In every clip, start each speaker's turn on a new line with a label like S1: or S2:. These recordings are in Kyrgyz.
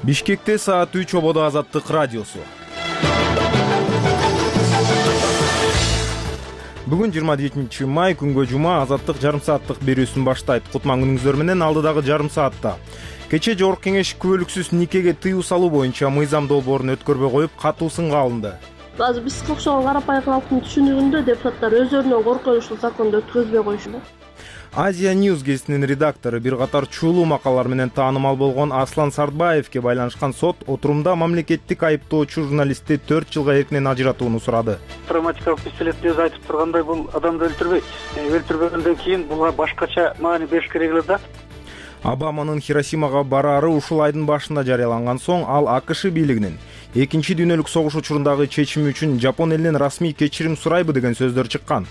S1: Бишкекте саат 3 ободо Азаттык радиосу. Бүгүн 27 май күнгө жума Азаттык жарым сааттык берүүсүн баштайт. Кутман күнүңүздөр менен алдыдагы жарым саатта. Кече Жогорку Кеңеш күбөлүксүз никеге тыюу салуу боюнча мыйзам долбоорун өткөрбөй коюп, катуу сынга алынды.
S2: Азыр бизге окшогон карапайым калктын түшүнүгүндө депутаттар өздөрүнөн коркой ушул законду өткөзбөй коюшат.
S1: Азия News гезитинин редактору, бир катар чуулуу макалалар менен таанымал болгон Аслан Сартбаевге байланышкан сот отурумда мамлекеттик айыптоочу журналистти 4 жылга эркинен ажыратууну сурады.
S3: Травматикалык пистолетти өзү айтып тургандай, бул адамды өлтүрбөйт. Өлтүрбөгөндөн кийин буга башкача маани бериш керек эле да.
S1: Обаманын Хиросимага бараары ушул айдын башында жарыяланган соң, ал АКШ бийлигинин Экинчи дүйнөлүк согуш учурундагы чечими үчүн Жапон элинен расмий кечирим сурайбы деген сөздөр чыккан.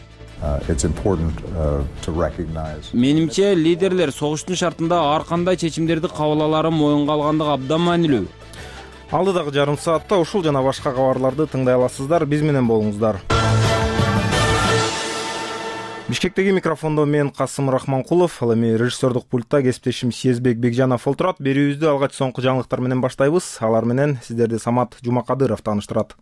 S4: Менимче, лидерлер согуштун шартында ар кандай чечимдерди кабыл алары моюнга алгандыгы абдан маанилүү.
S1: Алдыдагы жарым саатта ушул жана башка кабарларды тыңдай аласыздар. Биз менен болуңуздар. Бишкектеги микрофондо мен Касым Рахманкулов, ал эми режиссердук пультта кесиптешим Сезбек Бекжанов олтурат. Берүүбүздү алгач соңку жаңылыктар менен баштайбыз. Алар менен сиздерди Самат Жумакадыров тааныштырат.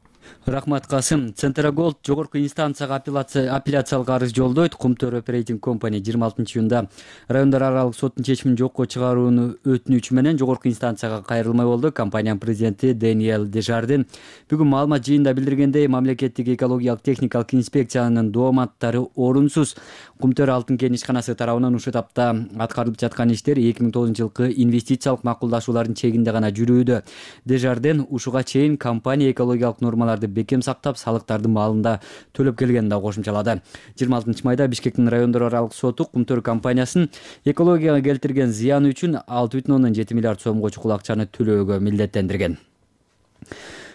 S5: Рахмат, Касым. Центроголд жогорку инстанцияга апелляциялык арыз жолдойт. Кумтөр Operating Company 26-июнда райондар аралык соттун чечимин жокко чыгарууну өтүнүчү менен жогорку инстанцияга кайрылмай болду. Компаниянын президенти Дэниэл Дежарден бүгүн маалымат жыйында билдиргендей, мамлекеттик экологиялык техникалык инспекциянын дооматтары орунсуз. Кумтөр Алтын кен ишканасы тарабынан ушул этапта аткарылып жаткан иштер 2009-жылкы инвестициялык макулдашуулардын чегинде гана жүрүүдө. Дежарден ушуга чейин компания экологиялык нормаларды бекем сактап, салыктарды маалында төлөп келгенин да кошумчалады. 26 майда Бишкектин райондор аралык соту Кумтөр компаниясын экологияга келтирген зыяны үчүн 6,7 миллиард сомго чукул акчаны төлөөгө милдеттендирген.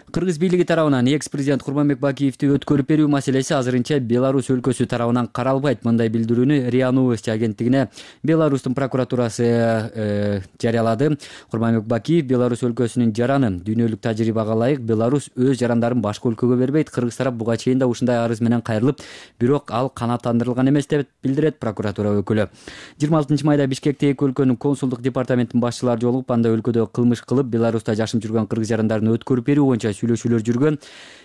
S5: Кыргыз бийлиги тарабынан экс-президент Курманбек Бакиевди өткөрүп берүү маселеси азырынча Беларусь өлкөсү тарабынан каралбайт. Мындай билдирүүнү РИА Новости агенттигине Беларустун прокуратурасы жарыялады. Курманбек Бакиев Беларусь өлкөсүнүн жараны дүйнөлүк тажрыйбага ылайык Беларусь өз жарандарын башка өлкөгө бербейт. Кыргыз тарап буга чейин да ушундай арыз менен кайрылып, бирок ал канааттандырылган эмес деп билдирет прокуратура өкүлү. 26 майда Бишкекте эки өлкөнүн консулдук департаментинин башчылары жолугуп, анда өлкөдө кылмыш кылып, Беларуста жашап жүргөн кыргыз жарандарын өткөрүп берүү боюнча сүйлөшүүлөр жүргөн.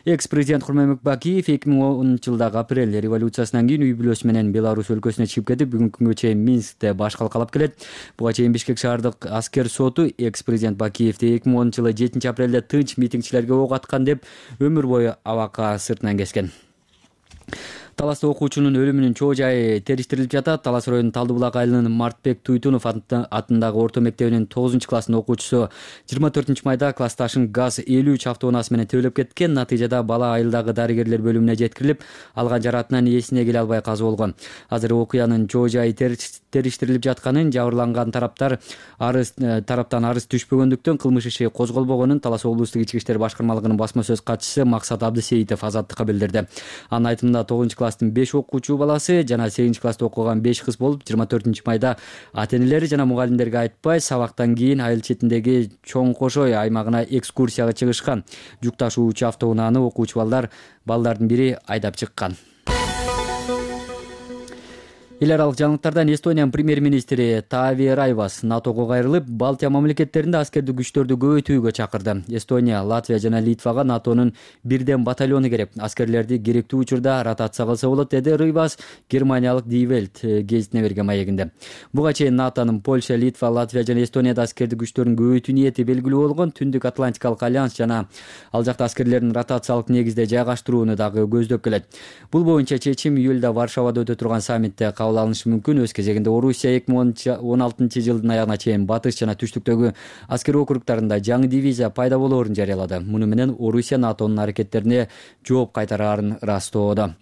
S5: Экс-президент Курманбек Бакиев 2010-жылдагы апрель революциясынан кийин үй бүлөсү менен Беларусь өлкөсүнө чыгып кетип, бүгүнкү күнгө чейин Минскте баш калкалап келет. Буга чейин Бишкек шаардык аскер соту экс-президент Бакиевди 2010-жылы 7 апрелде тынч митингчилерге ок аткан деп өмүр бою абакка сыртынан кескен. Таласта окуучунун өлүмүнүн чоо жайы териштирилип жатат. Талас районунун Талдыбулак айылынын Мартбек Туйтунов атындагы орто мектебинин 9-класстын окуучусу 24 майда классташын газ 53 автоунаасы менен тебелеп кеткен. Натыйжада бала айылдагы дарыгерлер бөлүмүнө жеткирилип, алган жараатынан эсине келе албай каза болгон. Азыр окуянын чоо жайы териштирилип жатканын, жабырланган тараптан арыз түшпөгөндүктөн кылмыш иши козголбогонун Талас облустук ички иштер башкармалыгынын басма сөз катчысы Максат Абдысеитов Азаттыкка билдирди. Анын айтымында 9-класстын 5 окуучу баласы жана 8-класста окуган 5 кыз болуп, 24 майда ата-энелери жана мугалимдерге айтпай, сабактан кийин айыл четиндеги Чоң Кошой аймагына экскурсияга чыгышкан. Жүк ташуучу автоунааны окуучу балдардын бири айдап чыккан. Эл аралык жаңылыктардан Эстониянын премьер-министри Таави Райвас НАТОго кайрылып, Балтия мамлекеттеринде аскердик күчтөрдү көбөйтүүгө чакырды. Эстония, Латвия жана Литвага НАТОнун бирден батальону керек. Аскерлерди керектүү учурда ротация кылса болот, деди Райвас германиялык Die Welt гезитине берген маегинде. Буга чейин НАТОнун Польша, Литва, Латвия жана Эстонияда аскердик күчтөрүн көбөйтүү ниети белгилүү болгон. Түндүк Атлантикалык альянс жана ал жакта аскерлердин ротациялык негизде жайгаштырууну дагы көздөп келет. Бул боюнча чечим июлда Варшавада өтө турган саммитте кабыл алынышы мүмкүн. Өз кезегинде Орусия 2016-жылдын аягына чейин батыш жана түштүктөгү аскер округтарында жаңы дивизия пайда болоорун жарыялады. Муну менен Орусия НАТОнун аракеттерине жооп кайтараарын ырастоодо.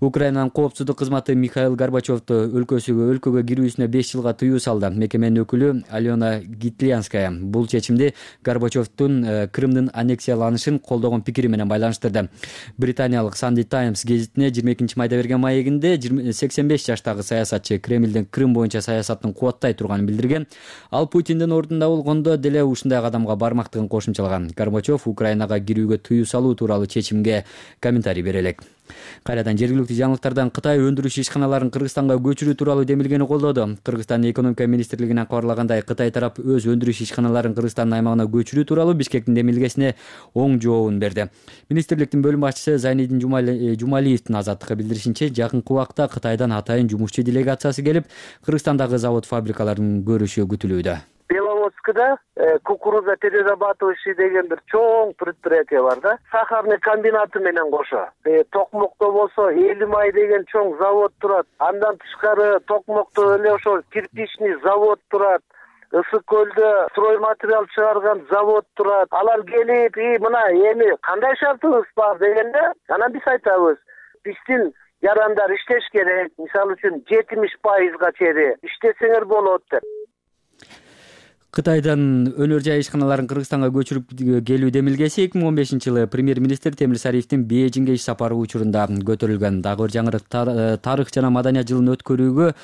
S5: Украинанын коопсуздук кызматы Михаил Горбачевду өлкөгө кирүүсүнө 5 жылга тыюу салды. Мекеменин өкүлү Алена Гитлянская бул чечимди Горбачевдун Крымдын аннексияланышын колдогон пикири менен байланыштырды. Британиялык Sunday Times гезитине 22 майда берген маегинде 85 жаштагы саясатчы Кремлдин Крым боюнча саясатын кубаттай турганын билдирген. Ал Путиндин ордунда болгондо деле ушундай кадамга бармактыгын кошумчалаган. Горбачев Украинага кирүүгө тыюу салуу тууралуу чечимге комментарий бере элек. Кайрадан жергиликтүү жаңылыктардан Кытай өндүрүш ишканаларын Кыргызстанга көчүрүү тууралуу демилгени колдоду. Кыргызстандын экономика министрлигинен кабарлагандай, Кытай тарап өз өндүрүш ишканаларын Кыргызстандын аймагына көчүрүү тууралуу Бишкектин демилгесине оң жообун берди. Министрликтин бөлүм башчысы Зайнидин Жумалиевдин Азаттыкка билдиришинче, жакынкы убакта Кытайдан атайын жумушчу делегациясы келип, Кыргызстандагы завод-фабрикаларын көрүшү күтүлүүдө.
S6: Беловодскода кукуруза перерабатывающий деген бир чоң предприятие бар да. Сахарный комбинаты менен кошо. Токмокто болсо Элимай деген чоң завод турат. Андан тышкары Токмокто эле ошо кирпичный завод турат. Ысык көлдө стройматериал чыгарган завод турат. Алар келип, мына эми кандай шартыбыз бар дегенде, анан биз айтабыз. Биздин жарандар иштеш керек. Мисалы үчүн 70%га чейин иштесеңер болот деп.
S5: Кытайдан өнөр жай ишканаларын Кыргызстанга көчүрүп келүү демилгеси 2015-жылы премьер-министр Темир Сариевдин Бейжиңге иш сапары учурунда көтөрүлгөн. Дагы бир жаңырык, тарых жана маданият жылын өткөрүүгө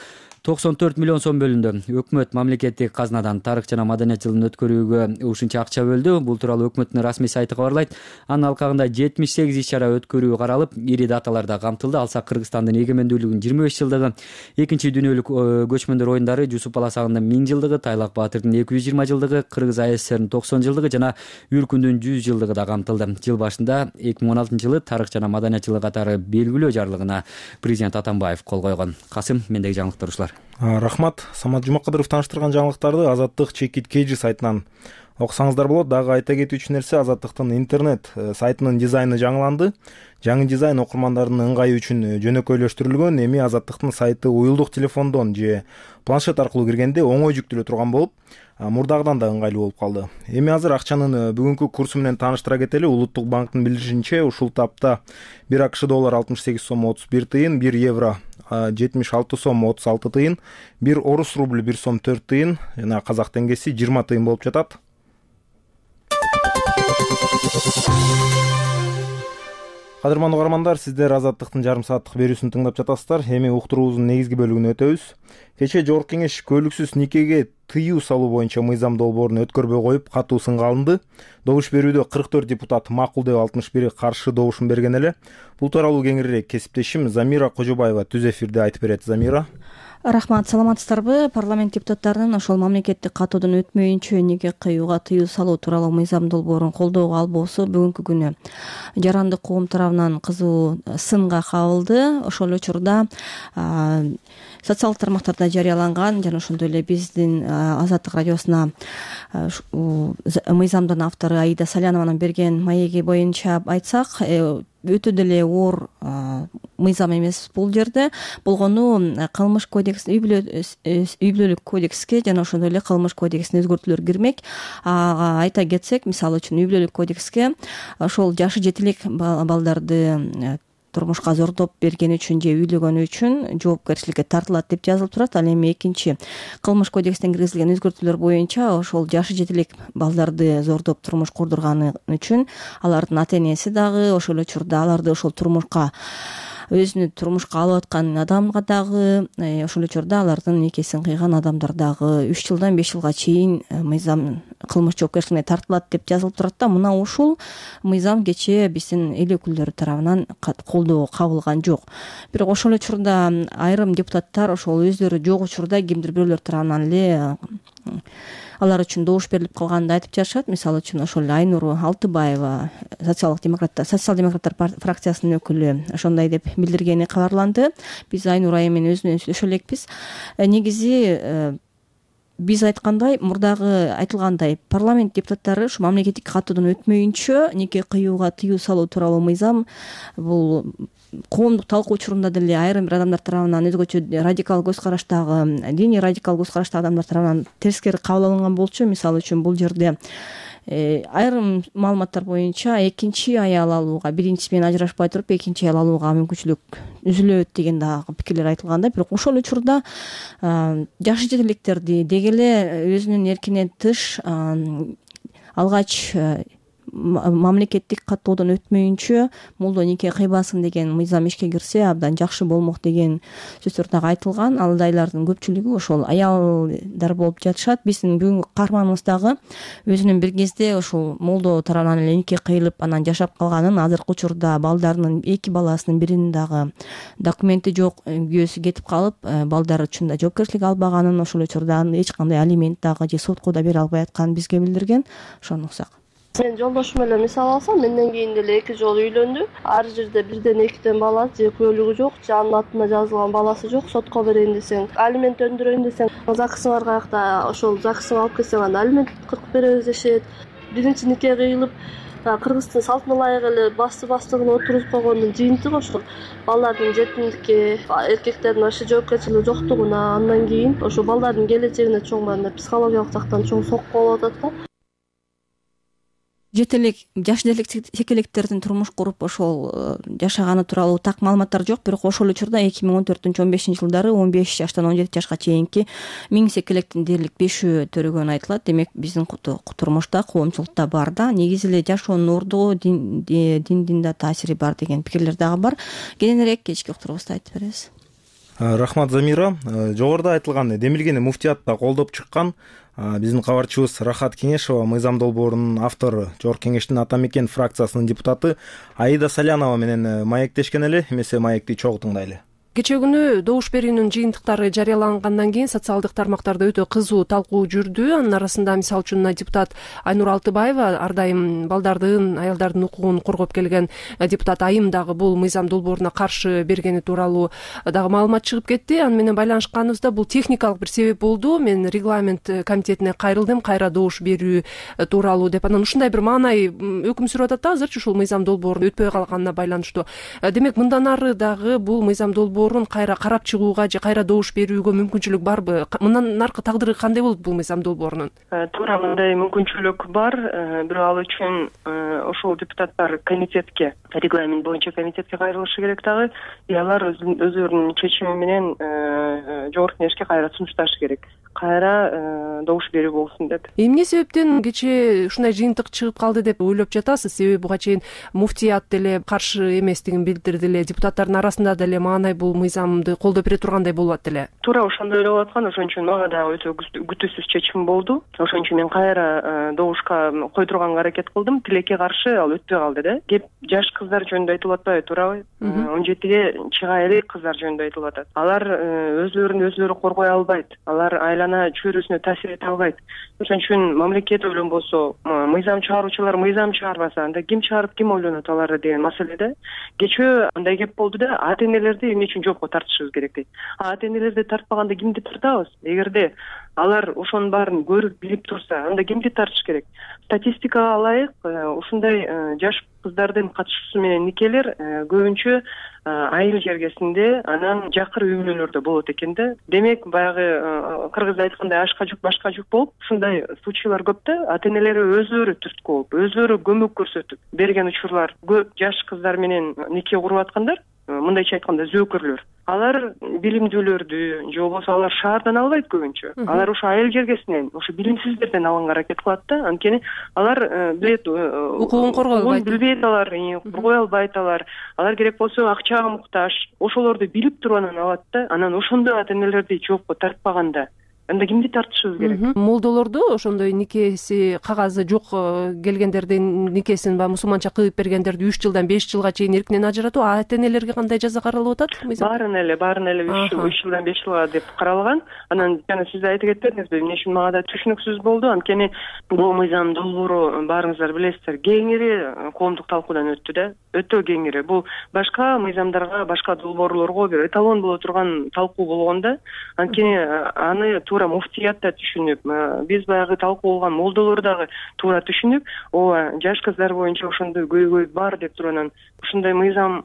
S5: 94 миллион сом бөлүндү. Өкмөт мамлекеттик казнадан тарых жана маданият жылын өткөрүүгө ушунча акча бөлдү. Бул тууралуу өкмөттүн расмий сайты кабарлайт. Анын алкагында 78 иш-чара өткөрүү каралып, ири даталар да камтылды. Алсак, Кыргызстандын эгемендүүлүгүнүн 25 жылдыгы, экинчи дүйнөлүк көчмөндөр оюндары, Жусуп Баласагындын 1000 жылдыгы, Тайлак Баатырдын 220 жылдыгы, Кыргыз АССРнин 90 жылдыгы жана Үркүндүн 100 жылдыгы да камтылды. Жыл башында 2016-жылы тарых жана маданият жылы катары белгилөө жарлыгына президент Атамбаев кол койгон. Касым, мендеги жаңылыктар ушулар.
S1: Рахмат. Самат Жумакадыров тааныштырган жаңылыктарды Азаттык чекит KG сайтынан окусаңыздар болот. Дагы айта кетүүчү нерсе, Азаттыктын интернет сайтынын дизайны жаңыланды. Жаңы дизайн окурмандардын ыңгайы үчүн жөнөкөйлөштүрүлгөн. Эми Азаттыктын сайты уюлдук телефондон же планшет аркылуу киргенде оңой жүктөлө турган болуп, мурдагыдан да ыңгайлуу болуп калды. Эми азыр акчанын бүгүнкү курсу менен тааныштыра кетели. Улуттук банктын билдиришинче, ушул тапта 1 АКШ доллар 68 сом 31 тыйын, 1 евро 76 сом 36 тыйын, 1 орус рубль 1 сом 4 тыйын, жана казак теңгеси 20 тыйын болуп жатат. Кадырман угармандар, сиздер Азаттыктын жарым сааттык берүүсүн тыңдап жатасыздар. Эми уктуруубуздун негизги бөлүгүнө өтөбүз. Кечээ Жогорку Кеңеш көөлүксүз никеге тыюу салуу боюнча мыйзам долбоорун өткөрбөй коюп, катуу сынга алынды. Добуш берүүдө 44 депутат макул деп, 61 каршы добушун берген эле. Бул тууралуу кеңирээк кесиптешим Замира Кожобаева түз эфирде айтып берет. Замира.
S7: Рахмат, саламатсыздарбы? Парламент депутаттарынын ошол мамлекеттик катуудан өтмөйүнчө нике кыюуга тыюу салуу тууралуу мыйзам долбоорун колдоого албоосу бүгүнкү күнү жарандык коом тарабынан кызуу сынга кабылды. Ошол учурда социалдык тармактарда жарыяланган жана ошондой эле биздин Азаттык радиосуна мыйзамдын автору Аида Салянованын берген маеги боюнча айтсак, өтө деле оор мыйзам эмес бул жерде. Болгону кылмыш кодекс, үй бүлөлүк кодекске жана ошондой эле кылмыш кодексине өзгөртүүлөр кирмек. Айта кетсек, мисалы үчүн үй бүлөлүк кодекске ошол жашы жетилик балдарды турмушка зордоп берген үчүн же үйлөгөнү үчүн жоопкерчиликке тартылат деп жазылып турат. Ал эми экинчи кылмыш кодекстен киргизилген өзгөртүүлөр боюнча ошол жашы жетилик балдарды зордоп турмуш курдурганы үчүн алардын ата энеси дагы ошол учурда аларды ошол турмушка өзүнү турмушка алып аткан адамга дагы, ошол учурда алардын никесин кыйган адамдар дагы 3 жылдан 5 жылга чейин мыйзам кылмыш жоопкерчилигине тартылат деп жазылып турат да. Мына ушул мыйзам кечээ биздин эл өкүлдөрү тарабынан колдоого кабылган жок. Бирок ошол учурда айрым депутаттар ошол өздөрү жок учурда кимдир бирөөлөр тарабынан эле алар үчүн добуш берилип калганын айтып жатышат. Мисалы үчүн ошол Айнур Алтыбаева, социал-демократтар фракциясынын өкүлү ошондой деп билдиргени кабарланды. Биз Айнур айым менен өзү менен сүйлөшө элекпиз. Негизи биз айткандай, мурдагы айтылгандай, парламент депутаттары ушу мамлекеттик катуудан өтмөйүнчө нике кыюуга тыюу салуу тууралуу мыйзам бул коомдук талкуу учурунда деле айрым бир адамдар тарабынан өзгөчө радикал көз караштагы, диний радикал көз караштагы адамдар тарабынан терскери кабыл алынган болчу. Мисалы үчүн бул жерде айрым маалыматтар боюнча экинчи аял алууга, биринчиси менен ажырашпай туруп экинчи аял алууга мүмкүнчүлүк үзүлөт деген дагы пикирлер айтылганда, бирок ошол учурда жашы жетиликтерди деги эле өзүнүн эркинен тыш алгач мамлекеттик каттоодон өтмөйүнчө молдо нике кыйбасын деген мыйзам ишке кирсе абдан жакшы болмок деген сөздөр дагы айтылган. Ал айдайлардын көпчүлүгү ошол аялдар болуп жатышат. Биздин бүгүнкү каарманыбыз дагы өзүнүн бир кезде ошол молдо тарабынан эле нике кыйылып анан жашап калганын, азыркы учурда балдарынын 2 баласынын биринин дагы документи жок, күйөөсү кетип калып, балдары үчүн да жоопкерчилик албаганын, ошол учурда эч кандай алимент дагы же сотко да бере албай атканын бизге билдирген. Ошону уксак.
S2: Мен жолдошум менен мисал алсам, менден кийин деле 2 жолу үйлөндү. Ар жерде бирден 2ден бала же куөлүгү жок, же анын атына жазылган баласы жок. Сотко берейин десең, алимент өндүрөйүн десең, ЗАГСыңар каякта, ошол ЗАГСыңа алып келсең анда алимент кыркып беребиз дешет. Биринчи нике кыйылып, кыргыздын салтына ылайык эле бастыгын отуруп койгондун жыйынтыгы ошол балдардын жетимдикке, эркектердин вообще жоопкерчилиги жоктугуна, андан кийин ошо балдардын келечегине чоң мындай психологиялык жактан чоң сокку болуп атат да.
S7: Жет элек жаш текелектердин турмуш куруп ошол жашаганы тууралуу так маалыматтар жок, бирок ошол учурда 2014-15 жылдары 15 жаштан 17 жашка чейинки 1000 секелектин дээрлик 5-өө төрөгөнү айтылат. Демек биздин турмушта коомчулукта бар да, негизи эле жашоонун ордугу диндин да таасири бар деген пикирлер дагы бар. Кененирээк кечки уктурубузда айтып беребиз.
S1: Рахмат Замира. Жогоруда айтылган демилгени муфтиятта колдоп чыккан биздин кабарчыбыз Рахат Кеңешова, мыйзам долбоорунун автору, Жогорку Кеңештин Ата Мекен фракциясынын депутаты Аида Салянова менен маектешкен эле. Эмесе маекти чогуу тыңдайлы.
S8: Кечээ күнү добуш берүүнүн жыйынтыктары жарыялангандан кийин социалдык тармактарда өтө кызуу талкуу жүрдү. Анын арасында мисалы үчүн депутат Айнур Алтыбаева, ар дайым балдардын, аялдардын укугун коргоп келген депутат Айым дагы бул мыйзам долбооруна каршы бергени тууралуу дагы маалымат чыгып кетти. Аны менен байланышканыбызда бул техникалык бир себеп болду. Мен регламент комитетине кайрылдым, кайра добуш берүү тууралуу деп. Анан ушундай бир маанай өкүм сүрүп атат да азырчы ушул мыйзам долбоорунун өтпөй калганына байланыштуу. Демек мындан ары дагы бул мыйзам долбоорун кайра карап чыгууга же кайра добуш берүүгө мүмкүнчүлүк барбы? Мындан аркы тагдыры кандай болот бул мыйзам долбоорунун?
S9: Туура мындай мүмкүнчүлүк бар. Бирок ал үчүн ошол депутаттар комитетке, регламент боюнча комитетке кайрылышы керек дагы. Алар өздөрүнүн чечими менен Жогорку Кеңешке кайра сунушташы керек. Кайра добуш берүү болсун деп.
S8: Эмне себептен кечээ ушундай жыйынтык чыгып калды деп ойлоп жатасыз? Себеби буга чейин муфтият деле каршы эместигин билдирди эле, депутаттардын арасында деле маанай бул мыйзамды колдоп бере тургандай болуп атты эле.
S9: Туура ошондой эле болуп аткан. Ошон үчүн мага да өтө күтүүсүз чечим болду. Ошон үчүн мен кайра добушка койдурганга аракет кылдым. Тилекке каршы ал өтпөй калды да. Кеп жаш кыздар жөнүндө айтылып атпайбы, туурабы? 17-ге чыга элек кыздар жөнүндө айтылып атат. Алар өзлөрү коргой албайт. Алар айлана чөйрөсүнө таасир эте албайт. Ошон үчүн мамлекет ойлонбосо, мыйзам чыгаруучулар мыйзам чыгарбаса, анда ким чыгарып ким ойлонот аларды деген маселеде. Кечээ андай кеп болду да, ата энелерди эмне үчүн жоопко тартышыбыз керек дейт. Ата энелерди тартпаганда кимди тартабыз? Эгерде алар ошонун баарын көрүп билип турса, анда кимди тартыш керек? Статистикага ылайык ушундай жаш кыздардын катышуусу менен никелер көбүнчө айыл жергесинде, анан жакыр үй бүлөлөрдө болот экен да. Демек баягы кыргызда айткандай ашка жүк башка жүк болуп, ушундай случайлар көп да. Ата энелери өзлөрү түрткү болуп, өзлөрү көмөк көрсөтүп берген учурлар көп. Жаш кыздар менен нике куруп аткандар, мындайча айтканда зөөкөрлөр. Алар билимдүүлөрдү же болбосо алар шаардан албайт көбүнчө. Алар ошо айыл жергесинен, ошо билимсиздерден алганга аракет кылат да. Анткени алар билет,
S8: укугун коргой албайт.
S9: Билбейт алар, коргой албайт алар. Алар керек болсо акчага муктаж. Ошолорду билип туруп анан алат да. Анан ошондой ата энелерди жоопко тартпаганда анда кимди тартышыбыз керек?
S8: Молдолорду ошондой никеси кагазы жок келгендердин никесин баягы мусулманча кыйып бергендерди 3 жылдан 5 жылга чейин эркинен ажыратуу, ата энелерге кандай жаза каралып атат?
S9: Баарын эле 3 жылдан 5 жылга деп каралган. Анан жана сиз айтып кетпедиңизби, эмне үчүн мага да түшүнүксүз болду. Анткени бул мыйзам долбоору баарыңыздар билесиздер, кеңири коомдук талкуудан өттү да. Өтө кеңири. Бул башка мыйзамдарга, башка долбоорлорго бир эталон боло турган талкуу болгон да. Анткени аны муфтият да түшүнүп, биз баягы талкуу болгон молдолор дагы туура түшүнүп, ооба жаш кыздар боюнча ошондой көйгөй бар деп туруп анан ушундай мыйзам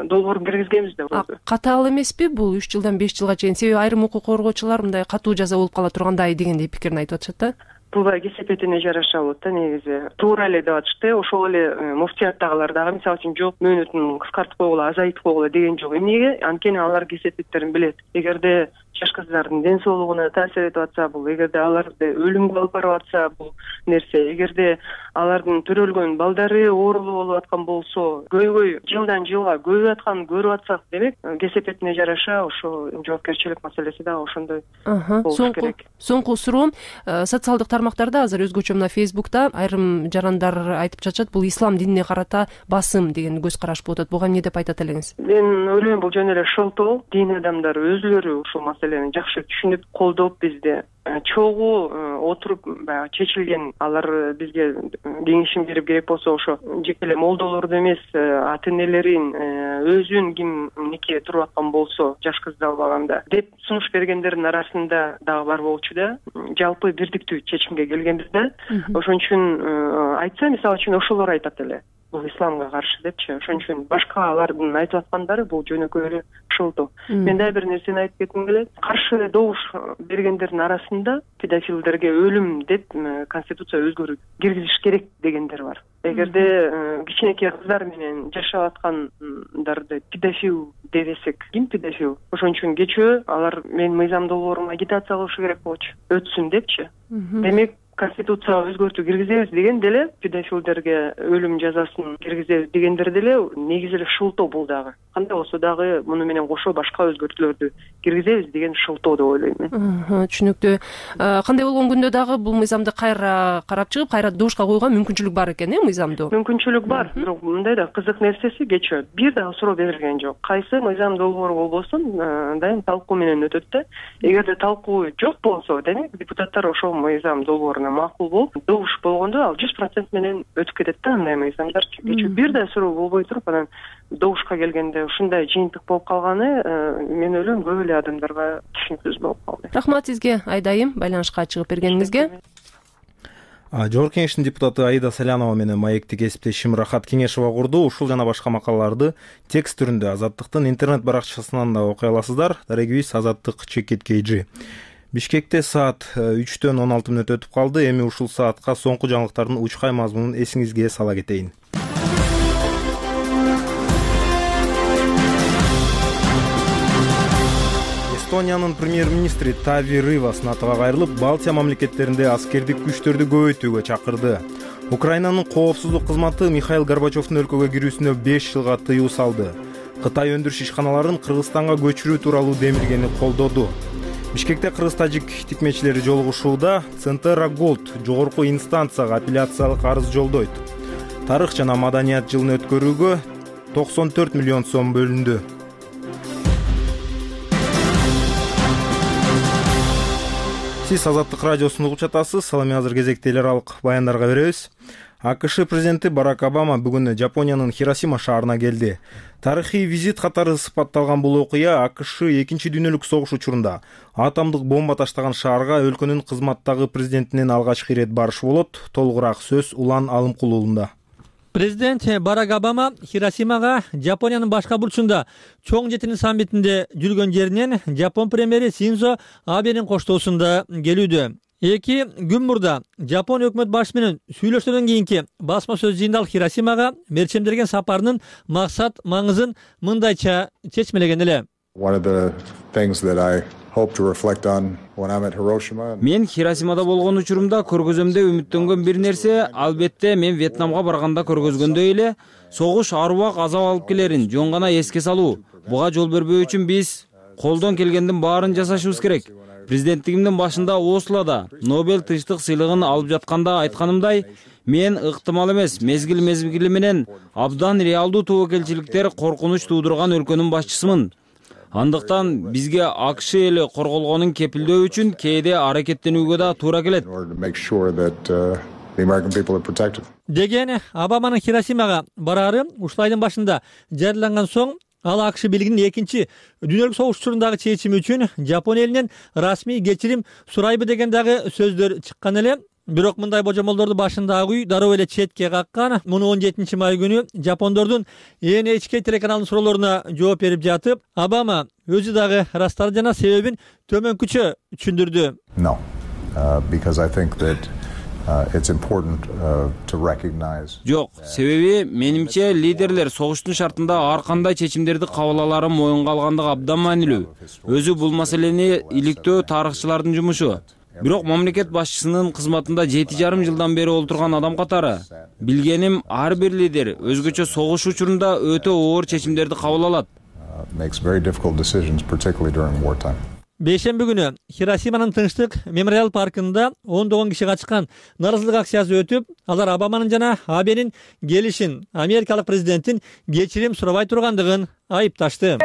S9: долбоорун киргизгенбиз да.
S8: Катаал эмеспи бул 3 жылдан 5 жылга чейин? Себеби айрым укук коргоочулар мындай катуу жаза болуп кала тургандай дегендей пикирин айтып атышат да.
S9: буга кесепетине жараша болот да негизи. Туура эле деп атышты. Ошол эле муфтияттагылар дагы мисалы үчүн жок мөөнөтүн кыскартып койгула, азайтып койгула деген жок. Эмнеге? Анткени алар кесепеттерин билет. Эгерде жаш кыздардын ден соолугуна таасир этип атса бул, эгерде аларды өлүмгө алып барып атса бул нерсе, эгерде алардын төрөлгөн балдары оорулуу болуп аткан болсо, көйгөй жылдан жылга көбөйүп атканын көрүп атсак, демек кесепетине жараша ошо жоопкерчилик маселеси дагы ошондой болуш керек.
S8: Соңку суроом, социалдык тармактарда азыр өзгөчө мына Фейсбукта айрым жарандар айтып жатышат, бул ислам динине карата басым деген көз караш болуп атат. Буга эмне деп айтат элеңиз?
S9: Мен ойлойм бул жөн эле шылтоо. Дин адамдары өзүлөрү ушул маселени жакшы түшүнүп, колдоп бизди чогуу отуруп баягы чечилген, алар бизге кеңешин берип керек болсо ошо жеке эле молдолорду эмес, ата энелерин өзүн кимнике туруп аткан болсо жаш кызды албаганда деп сунуш бергендердин арасында дагы бар болчу да. Жалпы бирдиктүү чечимге келгенбиз да. Ошон үчүн айтса, мисалы үчүн ошолор айтат эле бул исламга каршы депчи. Ошон үчүн башка алардын айтып аткандары бул жөнөкөй эле шылтоо. Мен дагы бир нерсени айтып кетким келет. Каршы добуш бергендердин арасында педофилдерге өлүм деп конституция өзгөрүү киргизиш керек дегендер бар. Эгерде кичинекей кыздар менен жашап аткандарды педофил дебесек, ким педофил? Ошон үчүн кечөө алар менин мыйзам долбоорума агитация кылышы керек болчу, өтсүн депчи. Демек конституцияга өзгөртүү киргизебиз деген деле, педофилдерге өлүм жазасын киргизебиз дегендер деле негизи эле шылтоо бул дагы. Кандай болсо дагы муну менен кошо башка өзгөртүүлөрдү киргизебиз деген шылтоо деп ойлойм мен.
S8: Түшүнүктүү. Кандай болгон күндө дагы бул мыйзамды кайра карап чыгып, кайра добушка коюуга мүмкүнчүлүк бар экен, мыйзамдуу?
S9: Мүмкүнчүлүк бар, бирок мындай да кызык нерсеси кечөө бир дагы суроо берилген жок. Кайсы мыйзам долбоору болбосун дайым талкуу менен өтөт да. Эгерде талкуу жок болсо, демек депутаттар ошол мыйзам долбооруна макул болуп, добуш болгондо ал 100% менен өтүп кетет да андай мыйзамдар. Кечөө бир да суроо болбой туруп, анан добушка келгенде ушундай жыйынтык болуп калганы, мен ойлойм көп эле адамдарга түшүнүксүз болуп калды.
S8: Рахмат сизге Айдайым, байланышка чыгып бергениңизге.
S1: Жогорку кеңештин депутаты Аида Салянова менен маекти кесиптешим Рахат Кеңешова курду. Ушул жана башка макалаларды текст түрүндө Азаттыктын интернет баракчасынан да окуй аласыздар. Дарегибиз Азаттык.kg. Бишкекте саат 3-төн 16 мүнөт өтүп калды. Эми ушул саатка соңку жаңылыктардын учкай мазмунун эсиңизге сала кетейин. Эстониянын премьер-министри Тави Рывас НАТОга кайрылып, Балтия мамлекеттеринде аскердик күчтөрдү көбөйтүүгө чакырды. Украинанын коопсуздук кызматы Михаил Горбачевдун өлкөгө кирүүсүнө 5 жылга тыюу салды. Кытай өндүрүш ишканаларын Кыргызстанга көчүрүү тууралуу демилгени колдоду. Бишкекте кыргыз-тажик тикмечилери жолугушууда. Центрагольд жогорку инстанцияга апелляциялык арыз жолдойт. Тарых жана маданият жылын өткөрүүгө 94 миллион сом бөлүндү. Сиз Азаттык радиосун угуп жатасыз. Салам, азыр кезекте эл аралык баяндарга беребиз. АКШ президенти Барак Обама бүгүн Жапониянын Хиросима шаарына келди. Тарыхый визит катары сыпатталган бул окуя АКШ 2 дүйнөлүк согуш учурунда атомдук бомба таштаган шаарга өлкөнүн кызматтагы президентинин алгачкы ирет барышы болот. Толугураак сөз Улан Алымкул уулунда.
S10: Президент Барак Обама Хиросимага Жапониянын башка бурчунда чоң жетини саммитинде жүргөн жеринен Жапон премьери Синдзо Абенин коштоосунда келүүдө. 2 күн мурда Жапон өкмөт башчысы менен сүйлөшүүдөн кийинки басма сөз жыйында Хиросимага мерчемдерген сапарынын максат маңызын мындайча чечмелеген эле.
S4: Мен Хиросимада болгон учурумда көргөзөмдө үмүттөнгөн бир нерсе, албетте мен Вьетнамга барганда көргөзгөндөй эле согуш арубак азап алып келерин жөн гана эске салуу. Буга жол бербөө үчүн биз колдон келгендин баарын жасашыбыз керек. Президенттигимдин башында Ослода Нобель тынчтык сыйлыгын алып жатканда айтканымдай, мен ыктымал эмес мезгил менен абдан реалдуу тобокелчиликтер коркунуч туудурган өлкөнүн башчысымын. Андыктан бизге АКШ эли корголгонун кепилдөө үчүн кээде аракеттенүүгө да туура келет.
S10: Деген Обаманын Хиросимага барары ушул айдын башында жарыяланган соң ал АКШ бийлигинин 2 дүйнөлүк согуш учурундагы чечими үчүн Жапон элинен расмий кечирим сурайбы деген дагы сөздөр чыккан эле. Бирок мындай божомолдорду башындагы үй дароо эле четке каккан. Муну 17 май күнү Жапондордун NHK телеканалынын суроолоруна жооп берип жатып, Обама өзү дагы ырастарды жана себебин төмөнкүчө түшүндүрдү.
S4: Жок, себеби менимче лидерлер согуштун шартында ар кандай чечимдерди кабыл алаары моюнга алгандыгы абдан маанилүү. Өзү бул маселени иликтөө тарыхчылардын жумушу. Бирок мамлекет башчысынын кызматында 7,5 жылдан бери олтурган адам катары билгеним ар бир лидер өзгөчө согуш учурунда өтө оор чечимдерди кабыл алат.
S10: Бейшемби күнү Хиросиманын Тынчтык мемориал паркында ондогон киши катышкан нааразычылык акциясы өтүп, алар Обаманын жана Абенин келишин, америкалык президенттин кечирим сурабай тургандыгын айыпташты.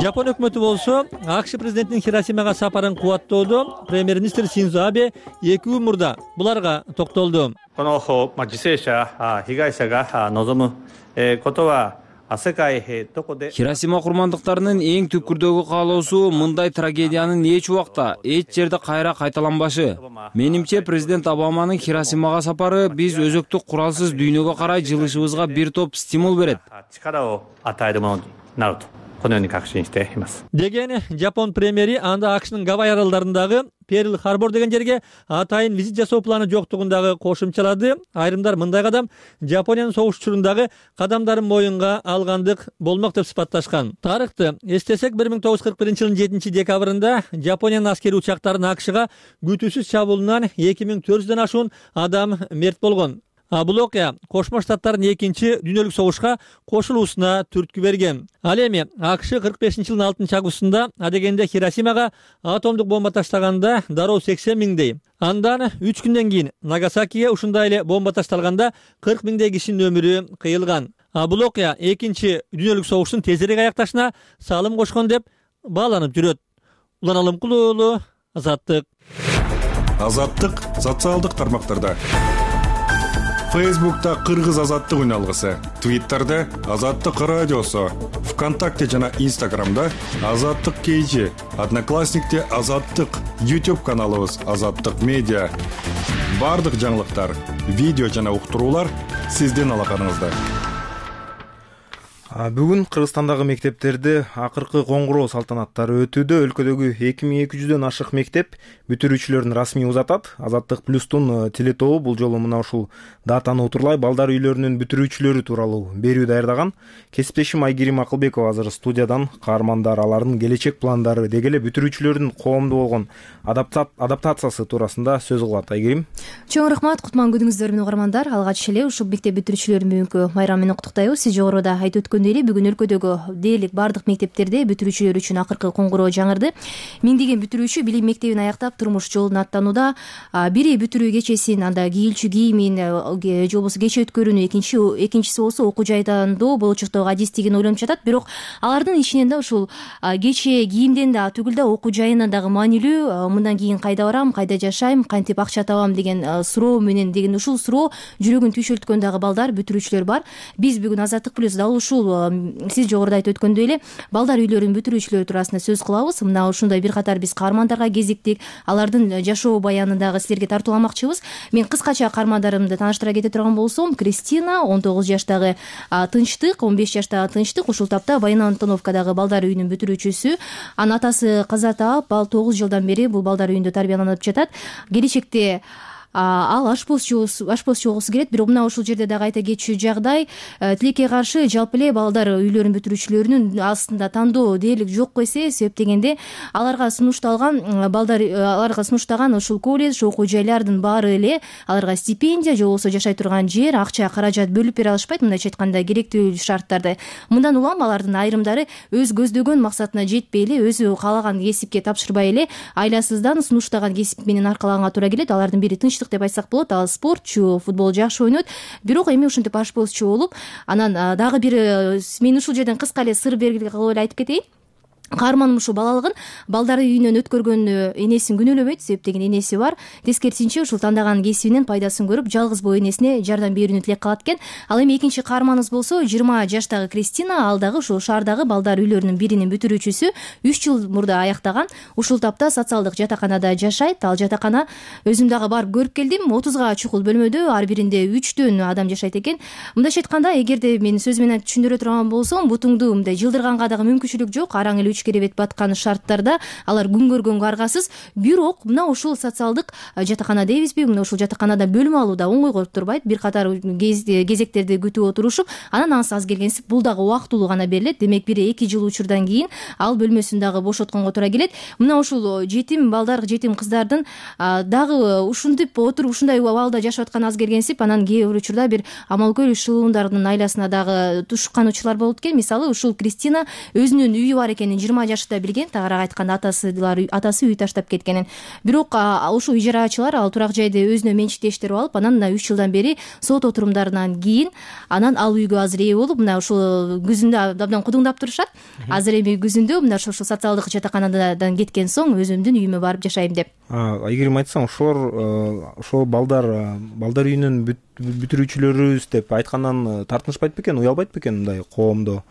S10: Жапон өкмөтү болсо АКШ президентинин Хиросимага сапарын кубаттоодо премьер-министр Синдзо Абе 2 күн мурда буларга токтолду.
S4: Хиросима курмандыктарынын эң түпкүрдөгү каалоосу мындай трагедиянын эч убакта, эч жерде кайра кайталанбашы. Менимче президент Обаманын Хиросимага сапары биз өзөктүк куралсыз дүйнөгө карай жылышыбызга бир топ стимул берет.
S10: Деген Жапон премьери анда АКШнын Гавай аралдарындагы Перл Харбор деген жерге атайын визит жасоо планы жоктугундагы кошумчалады. Айрымдар мындай кадам Жапониянын согуш учурундагы кадамдарын моюнга алгандык болмок деп сыпатташкан. Тарыхты эстесек 1941-жылдын 7-декабрында Жапониянын аскери учактарынын АКШга күтүүсүз чабуулунан 2400дөн ашуун адам мерт болгон. Бул окуя Кошмо Штаттардын 2-дүйнөлүк согушка кошулуусуна түрткү берген. Ал эми АКШ 45-жылдын 6-августунда адегенде Хиросимага атомдук бомба таштаганда дароо 80 миңдей. Андан 3 күндөн кийин Нагасакиге ушундай эле бомба ташталганда 40 миңдей кишинин өмүрү кыйылган. Бул окуя 2-дүйнөлүк согуштун тезирээк аякташына салым кошкон деп бааланып жүрөт. Улан Алымкул уулу, Азаттык.
S11: Азаттык социалдык тармактарда. Фейсбукта Кыргыз Азаттык үналгысы, Твиттерде Азаттык радиосу, ВКонтакте жана Инстаграмда Азаттык KG, Одноклассникте Азаттык, YouTube каналыбыз Азаттык Медиа. Бардык жаңылыктар, видео жана уктуруулар сиздин алаканыңызда.
S1: Бүгүн Кыргызстандагы мектептерде акыркы коңгуроо салтанаттары өтүүдө. Өлкөдөгү 2200дөн ашык мектеп бүтүрүүчүлөрүн расмий узатат. Азаттык плюстун телетобу бул жолу мына ушул датаны утурлай балдар үйлөрүнүн бүтүрүүчүлөрү тууралуу берүү даярдаган. Кесиптешим Айгерим Акылбекова азыр студиядан каармандар, алардын келечек пландары, деги эле бүтүрүүчүлөрдүн коомдо болгон адаптациясы туурасында сөз кылат. Айгерим.
S12: Чоң рахмат, кутман күнүңүздөр менен угармандар. Алгач эле ушул мектеп бүтүрүүчүлөрүн бүгүнкү байрам менен куттуктайбыз. Сиз жогоруда айтып өткөн бүгүн өлкөдөгү дээрлик бардык мектептерде бүтүрүүчүлөр үчүн акыркы коңгуроо жаңырды. Миңдеген бүтүрүүчү билим мектебин аяктап турмуш жолун аттанууда. Бири бүтүрүү кечесин, анда кийилчү кийимин же болбосо кече өткөрүүнү, экинчиси болсо окуу жайдандоо болочоктогу адистигин ойлонуп жатат. Бирок алардын ичинен да ушул кече кийимден да түгүл да окуу жайынан дагы маанилүү, мындан кийин кайда барам, кайда жашайм, кантип акча табам деген суроо менен деген ушул суроо жүрөгүн түйшөлткөн дагы балдар, бүтүрүүчүлөр бар. Биз бүгүн Азаттык плюс дал ушул сиз жогоруда айтып өткөндөй эле балдар үйлөрүнүн бүтүрүүчүлөрү туурасында сөз кылабыз. Мына ушундай бир катар биз каармандарга кезиктик, алардын жашоо баянын дагы силерге тартууламакчыбыз. Мен кыскача каармандарымды тааныштыра кете турган болсом, Кристина 19 жаштагы Тынчтык, 15 жаштагы Тынчтык, ушул тапта Баян Антоновкадагы балдар үйүнүн бүтүрүүчүсү. Анын атасы каза таап, ал 9 жылдан бери бул балдар үйүндө тарбияланып жатат. Келечекте ал ашпозчу болгусу келет. Бирок мына ушул жерде дагы айта кетчү жагдай, тилекке каршы жалпы эле балдар үйлөрүнүн бүтүрүүчүлөрүнүн астында тандоо дээрлик жок эсе, себеп дегенде аларга сунушталган ушул колледж, окуу жайлардын баары эле аларга стипендия же болбосо жашай турган жер, акча, каражат бөлүп бере алышпайт. Мындайча айтканда керектүү шарттарды. Мындан улам алардын айрымдары өз көздөгөн максатына жетпей эле, өзү каалаган кесипке тапшырбай эле айласыздан сунуштаган кесип менен аркалаганга туура келет. Алардын бири Тынчтык деп айтсак болот. Ал спортчу, футбол жакшы ойнойт. Бирок эми ушинтип ашпозчу болуп, анан дагы бир мен ушул жерден кыска эле сыр белгилүү кылып эле айтып кетейин. каармандын ушул балалыгын балдар үйүнөн өткөргөнү энесин күнөөлөбөйт, себеп деген энеси бар. Тескерисинче ушул тандаган кесибинен пайдасын көрүп, жалгыз боо энесине жардам берүүнү тилек кылат экен. Ал эми экинчи каарманыбыз болсо 20 жаштагы Кристина, ал дагы ушул шаардагы балдар үйлөрүнүн биринин бүтүрүүчүсү, 3 жыл мурда аяктаган. Ушул тапта социалдык жатаканада жашайт. Ал жатакана өзүм дагы барып көрүп келдим. 30га чукул бөлмөдө, ар биринде 3төн адам жашайт экен. Мындайча айтканда, эгерде мен сөз менен түшүндүрө турган болсом, бутуңду мындай жылдырганга дагы мүмкүнчүлүк жок. Араң эле 3 керебет баткан шарттарда алар күн көргөнгө аргасыз. Бирок мына ушул социалдык жатакана дейбизби, мына ушул жатаканада бөлмө алуу да оңойго турбайт. Бир катар кезектерди күтүп отурушуп, анан аз келгенсип бул дагы убактылуу гана берилет. Демек 1-2 жыл учурдан кийин ал бөлмөсүн дагы бошотконго туура келет. Мына ушул жетим балдар, жетим кыздардын дагы ушинтип отуруп ушундай абалда жашап аткан аз келгенсип, анан кээ бир учурда бир амалкөл шылуундардын айласына дагы тушкан учурлар болот экен. Мисалы ушул Кристина өзүнүн үйү бар экенин 20 жашында билген, тагыраак айтканда атасы үй таштап кеткенин. Бирок ушул ижарачылар ал турак жайды өзүнө менчиктештирип алып, анан мына 3 жылдан бери сот отурумдарынан кийин анан ал үйгө азыр ээ болуп, мына ушул күзүндө абдан кудуңдап турушат. Азыр эми күзүндө мына ушул социалдык жатаканадан кеткен соң өзүмдүн үйүмө барып жашайм деп.
S1: Айгерим айтсаң, ошол балдар үйүнүн бүтүрүүчүлөрүбүз деп айткандан тартынышпайт бекен, уялбайт бекен мындай коомдо?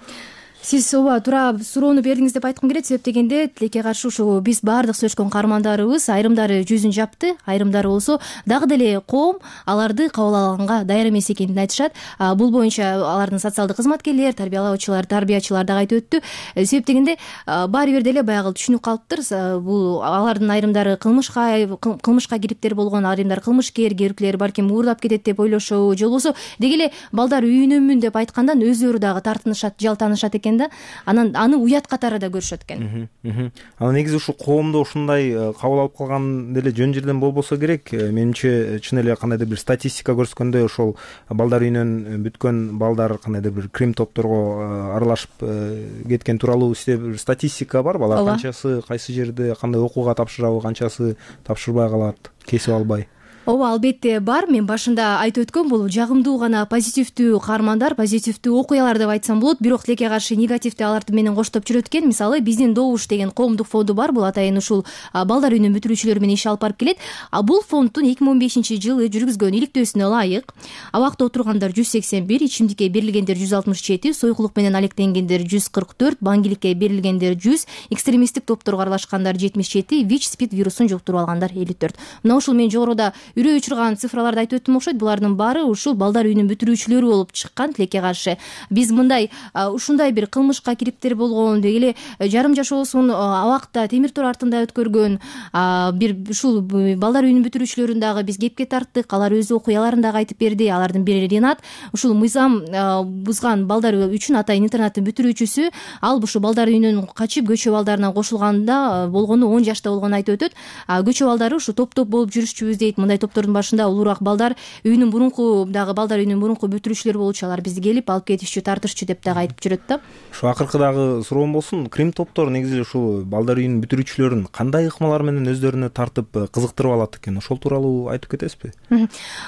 S12: Сиз ооба туура суроону бердиңиз деп айткым келет, себеп дегенде тилекке каршы ушу биз баардык сөйлөшкөн каармандарыбыз айрымдары жүзүн жапты, айрымдары болсо дагы деле коом аларды кабыл алганга даяр эмес экенин айтышат. Бул боюнча алардын социалдык кызматкерлер, тарбиялоочулар, тарбиячылар дагы айтып өттү. Себеп дегенде баары бир деле баягы түшүнүп калыптыр. Бул алардын айрымдары кылмышка кириптер болгон, айрымдары кылмышкер, кээбиркилери балким уурдап кетет деп ойлошобу, же болбосо деги эле балдар үйүнөнмүн деп айткандан өзүлөрү дагы тартынышат, жалтанышат экен. Анан аны уят катары да көрүшөт экен.
S1: Анан негизи ушул коомдо ушундай кабыл алып калган деле жөн жерден болбосо керек. Менимче чын эле кандайдыр бир статистика көрсөткөндөй, ошол балдар үйүнөн бүткөн балдар кандайдыр бир крим топторго аралашып кеткен тууралуу бир статистика бар. Балар канчасы кайсы жерде кандай окууга тапшырабы, канчасы тапшырбай калат, кесип албай.
S12: Ооба, албетте бар. Мен башында айтып өткөм, бул жагымдуу гана позитивдүү каармандар, позитивдүү окуялар деп айтсам болот. Бирок тилекке каршы негативди аларды менен коштоп жүрөт экен. Мисалы, биздин Добуш деген коомдук фонду бар. Бул атайын ушул балдар үйүнүн бүтүрүүчүлөрү менен иш алып барып келет. Бул фонддун 2015-жылы жүргүзгөн иликтөөсүнө ылайык абакта отургандар 181, ичимдикке берилгендер 167, сойкулук менен алектенгендер 144, баңгиликке берилгендер 100, экстремисттик топторго аралашкандар 77, ВИЧ-СПИД вирусун жуктуруп алгандар 54. Мына ушул мен жогоруда үрөй учурган цифраларды айтып өттүм окшойт. Булардын баары ушул балдар үйүнүн бүтүрүүчүлөрү болуп чыккан. Тилекке каршы биз мындай ушундай бир кылмышка кириптер болгон, деги эле жарым жашоосун абакта темир тор артында өткөргөн бир ушул балдар үйүнүн бүтүрүүчүлөрүн дагы биз кепке тарттык. Алар өз окуяларын дагы айтып берди. Алардын бири Ринат, ушул мыйзам бузган балдар үчүн атайын интернаттын бүтүрүүчүсү. Ал ушул балдар үйүнөн качып көчө балдарына кошулганда болгону 10 жашта болгонун айтып өтөт. Көчө балдары ушу топ-топ болуп жүрүшчүбүз дейт. Мындай топтордун башында улуураак балдар үйүнүн мурунку бүтүрүүчүлөрү болчу, алар бизди келип алып кетишчү, тартышчу деп дагы айтып жүрөт да.
S1: Ушу акыркы дагы суроом болсун. Крим топтор негизи ушул балдар үйүнүн бүтүрүүчүлөрүн кандай ыкмалар менен өздөрүнө тартып кызыктырып алат экен? Ошол тууралуу айтып кетесизби?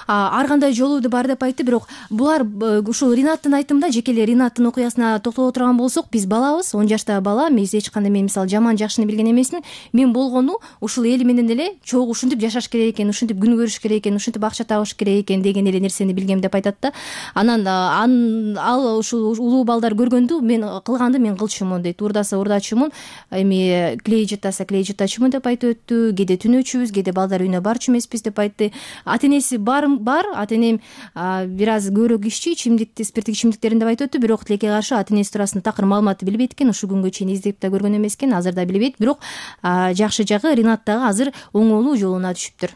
S12: Ар кандай жолу бар деп айтты, бирок булар ушул Ринаттын айтымында, жеке эле Ринаттын окуясына токтоло турган болсок, биз балабыз, 10 жаштагы бала. Мен эч кандай мисалы жаман жакшыны билген эмесмин. Мен болгону ушул эл менен эле чогуу ушинтип жашаш керек экен, ушинтип күн көрүш керек экен, ушинтип акча табыш керек экен деген эле нерсени билгем деп айтат да. Анан ал ушул улуу балдар көргөндү мен кылганды мен кылчумун дейт. Урдаса урдачумун, эми клей жытаса клей жытачумун деп айтып өттү. Кээде түнөөчүбүз, кээде балдар үйүнө барчу эмеспиз деп айтты. Ата энеси бар, ата энем бир аз көбүрөөк иччи, спирттик ичимдиктерин деп айтып өттү. Бирок тилекке каршы ата энеси туурасында такыр маалыматты билбейт экен. Ушул күнгө чейин издеп да көргөн эмес экен, азыр да билбейт. Бирок жакшы жагы Ринат дагы азыр оңолуу жолуна түшүптүр.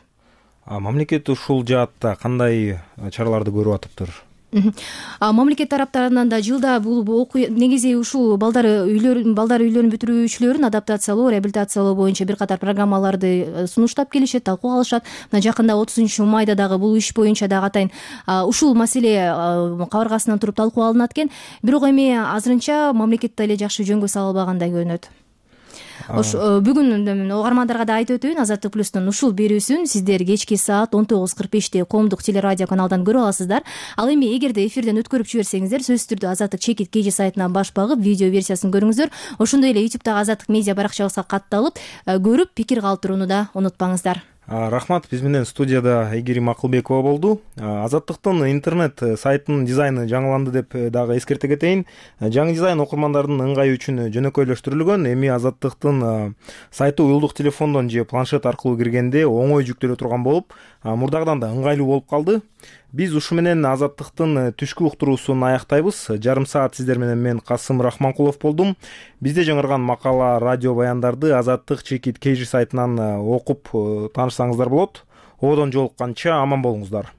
S1: Мамлекет ушул жаатта кандай чараларды көрүп атыптыр?
S12: Мамлекет тараптарынан да жылда бул негизи ушул балдар үйлөрүнүн бүтүрүүчүлөрүн адаптациялоо, реабилитациялоо боюнча бир катар программаларды сунуштап келишет, талкууга алышат. Мына жакында 30-майда дагы бул иш боюнча дагы атайын ушул маселе кабыргасынан туруп талкуу алынат экен. Бирок эми азырынча мамлекет да эле жакшы жөнгө сала албагандай көрүнөт. Бүгүн угармандарга да айтып өтөйүн, Азаттык плюстун ушул берүүсүн сиздер кечки саат 19:45 коомдук телерадио каналдан көрө аласыздар. Ал эми эгерде эфирден өткөрүп жиберсеңиздер, сөзсүз түрдө Азаттык чекит KG сайтынан баш багып видео версиясын көрүңүздөр. Ошондой эле YouTube'дагы Азаттык медиа баракчабызга катталып көрүп пикир калтырууну да унутпаңыздар.
S1: Рахмат. Биз менен студияда Айгерим Акылбекова болду. Азаттыктын интернет сайтынын дизайны жаңыланды деп дагы эскерте кетейин. Жаңы дизайн окурмандардын ыңгайы үчүн жөнөкөйлөштүрүлгөн. Эми Азаттыктын сайты уюлдук телефондон же планшет аркылуу киргенде оңой жүктөлө турган болуп, мурдагыдан да ыңгайлуу болуп калды. Биз ушу менен Азаттыктын түшкү уктуруусун аяктайбыз. Жарым саат сиздер менен мен Касым Рахманкулов болдум. Бизде жаңырган макала, радио баяндарды Азаттык чекит KG сайтынан окуп таанышсаңыздар болот. Одон жолукканча аман болуңуздар.